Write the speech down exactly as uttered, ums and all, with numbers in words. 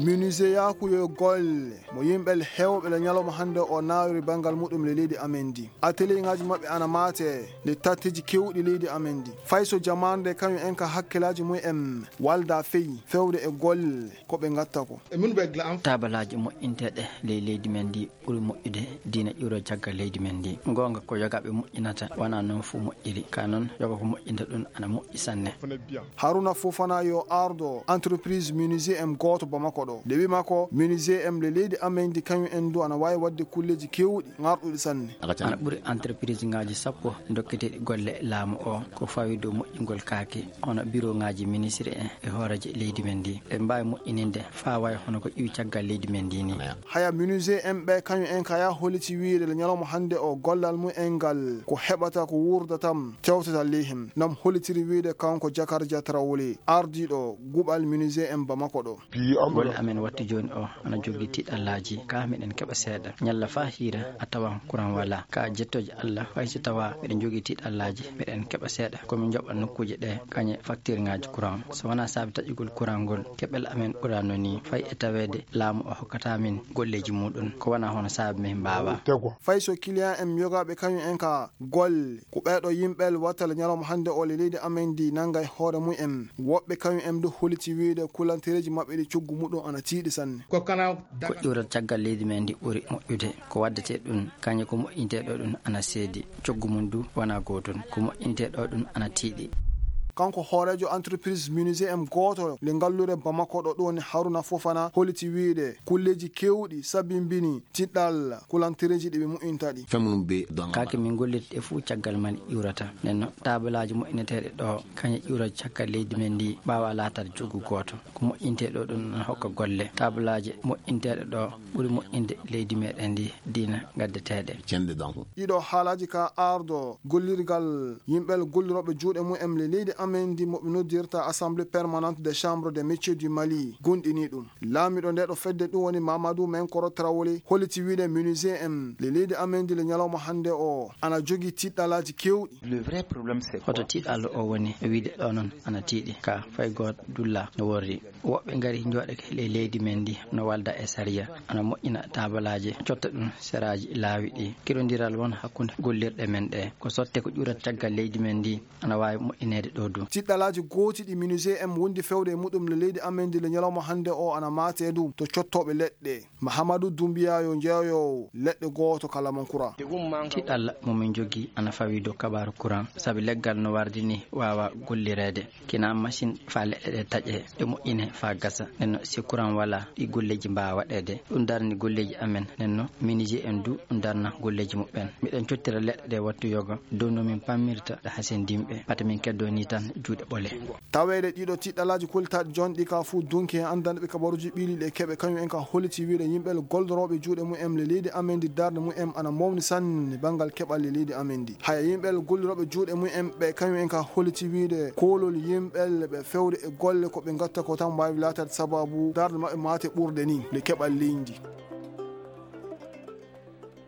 Menuisier yaaku yo golle mo yimɓe heewɓe le ñalawma hannde o naawiri banngal muɗum le leydi amen ndi. Atelier ŋaaji maɓɓe ana maate le tatteji keewɗi leydi amen ndi. Fay so jamaande kañum en ka hakkilaaji mum en walda feyi fewde e golle ko ɓe ngatta ko. Tabalaaji moƴƴinteeɗe ley leydi men ndi ɓuri moƴƴude diina ƴuuro caggal leydi men ndi. Goonga ko yogaaɓe moƴƴinata, wonaa noon fof moƴƴiri. Ka noon, yoga ko moƴƴinta ɗum ana moƴƴi sanne. Haruna Fofana yo ardo entreprise menuisier en gooto Bamako ɗo. Nde wi makko, menuisier en le leydi amen ndi kañum en du ana waawi waɗde kulleeji keewɗi ŋarɗuɗi sanne. Ana ɓuri entreprise ŋaaji sappo dokketeeɗi golle laamu o ko fawi dow moƴƴingol kaake, hono biro ŋaaji ministre en e hooreeje leydi men ndi. Ɓe mbaawi moƴƴininde faa wayi hono ko ƴiwi caggal leydi men ndi ni. Haya menuisier en ɓe kañum en kaya holliti wiide le ñalawma hannde o gollal mum en ngal ko heɓata ko wuurdatam tewtata ley hen. Nam hollitiri wiide kanko Jakar Jatrawole ardiiɗo guɓal menuisier en Bamako ɗo. Golle amen wattu jooni o ana jogii tiiɗallaaji, ka miɗen keɓa seeɗa. Ñalla faa hiira a tawan kuran walaa. Ka jettooje Allah, fay so tawaa miɗen jogii tiiɗallaaji, miɗen keɓa seeɗa. Ko min njoɓa nokkuuje ɗe kañe faktirŋaaji kuran. So wonaa saabi taƴugol kuran ngol, keɓal amen ɓuraano ni. Fay e taweede laamu o hokkata min golleeji muɗum, ko wonaa hono saabi min mbaawaa. Fay so client en yogaaɓe kañum en ka golle, ko ɓeeɗo yimɓe watta le ñalawma hannde o le leydi amen ndi nanga e hoore mum en. Woɓɓe kañum en du holliti wiide kulantereeji maɓɓe ɗi coggu muɗum ana tiiɗi sanne. Ko ƴuurat caggal leydi men ndi ɓuri moƴƴude. Ko waddetee ɗum, kañum ko moƴƴintee ɗo ɗum ana seedi. Coggu mum du wonaa gootum. Ko moƴƴintee ɗo ɗum ana tiiɗi. Kanko hooreejo entreprise menuisier en gooto le ngalluure Bamako ɗo ɗum woni Haruna Fofana holliti wiide kulleeji keewɗi sabimbini tiɗɗal kulantereeji ɗi ɓe moƴƴinta ɗi. Kaake min gollirta ɗe fuu caggal man ƴuurata. Nden no tabalaaji moƴƴineteeɗe ɗo kañe ƴuura caggal leydi men ndi mbaawa laataade coggu gooto. Ko moƴƴintee ɗo ɗum ana hokka golle. Tabalaaji moƴƴinteeɗe ɗo ɓuri moƴƴinde leydi meɗen ndi diina gaddeteeɗe. Ɗiɗo haalaaji ka ardo gollirgal yimɓe gollirooɓe juuɗe mum en le leydi amen ndi mo ɓe noddirta Assemblée permanente des chambres des métiers du Mali gonɗini ɗum. Laamiiɗo nde ɗo fedde ɗum woni Mamadou Menkoro Traoré holliti wiide menuisier en le leydi amen ndi le ñalawma hannde o ana jogii tiɗɗalaaji keewɗi. Hoto tiiɗallo o woni e wiide ɗo noon ana tiiɗi ka fay gooto dulla no worri. Woɓɓe ngari njooɗake ley leydi men ndi no walda e sariya, ana moƴƴina tabalaaje, cotta ɗum seraaji laawi ɗi. Keɗondiral won hakkunde gollirɗe men ɗe. Ko sotte ko ƴuurat caggal leydi men ndi ana waawi moƴƴineede ɗo du. Tiɗɗalaaji gooti ɗi menuisier en wondi fewde e muɗum le leydi amen ndi le ñalawma hannde o ana maate du to cottooɓe leɗɗe. Mahamadou Doumbia yo jeeyowo leɗɗe gooto kala mon courant. Tiɗalla mo min jogii ana fawi dow kabaaru courant, sabi leggal no wardi ni waawa gollireede. Kina machine faa leɗɗe ɗe taƴe, ɗe moƴƴine faa gasa. Nden no si courant walaa, ɗi golleeji mbaawa waɗeede. Ɗum darni golleeji amen. Nden no menuisier en du ɗum darna golleeji muɓɓen. Miɗen cottira leɗɗe ɗe wattu yoga dow no min pammirta ɗe hasindinɓe. Pata min keddoo ni tan juuɗe ɓole. Taweede ɗiɗo tiɗɗalaaji koltaaɗi jonɗi ka fuu dunki e anndanɓe kabaruuji ɓiiliiɗi e keɓe kañum en ka holliti wiide yimɓe gollorooɓe juuɗe mum en le leydi amen ndi darnde mum en ana mawni sanne banngal keɓal le leydi amen ndi. Haya yimɓe gollirooɓe juuɗe mum en ɓe kañum en ka holliti wiide koolol yimɓe ɓe fewde e golle ko ɓe ngatta ko tan waawi laataade sababu darnde maɓɓe maate ɓurde ni le keɓal leydi ndi.